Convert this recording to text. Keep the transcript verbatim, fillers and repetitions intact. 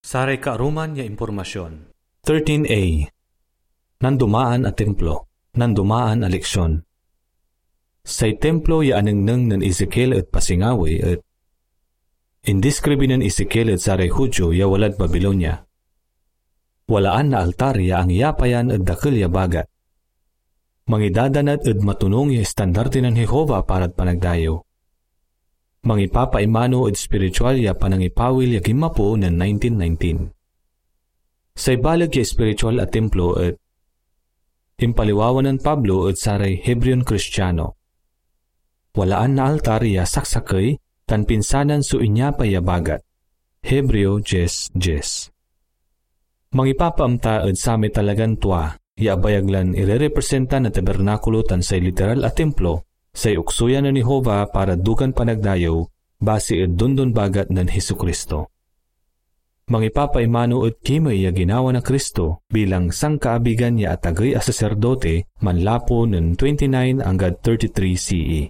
Saray kaaruman ya impormasyon. Thirteen A. Nandumaan a templo, nandumaan a leksion. Say templo ya anengneng nen Ezekiel ed pasingawi et indeskribi nen Ezekiel ed saray Judio ya walad Babilonia. Walaan na altar ya angyapayan ed dakel ya bagat. Mangidadanat ed matonung ya estandarte nen Jehovah parad panagdayew. Mangipapaimano ed espiritual ya panangipawil ya ginmapo nen nineteen nineteen. Say baleg ya espiritual a templo et impaliwawa nen Pablo ed saray Hebreon Kristiano. Walaan na altar ya saksakey tan pinsanan so inyapay ya bagat. Hebreo diez diez. Mangipapaamta ed samay talagan tua ya abayag lan irerepresenta na tabernakulo tan say literal a templo, say oksuyan nen Jehovah para dugan panagdayew, basi ed dondon bagat nen Jesu-Cristo. Mangipapaimano ed kimey ya ginawa na Cristo bilang sankaabigan ya atagey a saserdote manlapu nen twenty-nine anggad thirty-three C E.